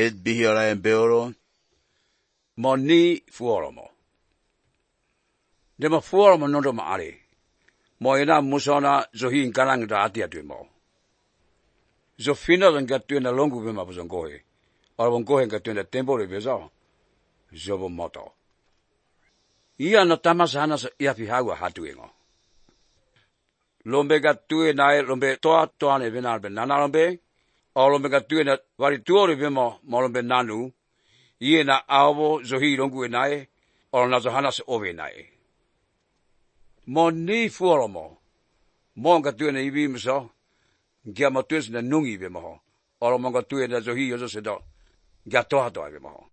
et bihiola en beoro. Mo ni fuoromo. Dema fuoromo nondo maari. Mo ina musona zohi inkanang da ati atu mo. Zo fina dan gatuena longu bema buzongohe. Arabongohe gatuena tempo de bezo. Zobo moto. Ia no tamasana ia fihawa hatu ingo. Lombe gatue nae lombe toa ne bena benana lombe. O lombe gatue na vari tuore bema mo lombe nanu. Ie na awo zohi longu nae. O na zohana se ove nae. Mo ni fuoromo. Mo gatue na ibi miso. Gia matues na nungi bema ho. O lo mo gatue na zohi yozo sedo. Gia toa bema ho.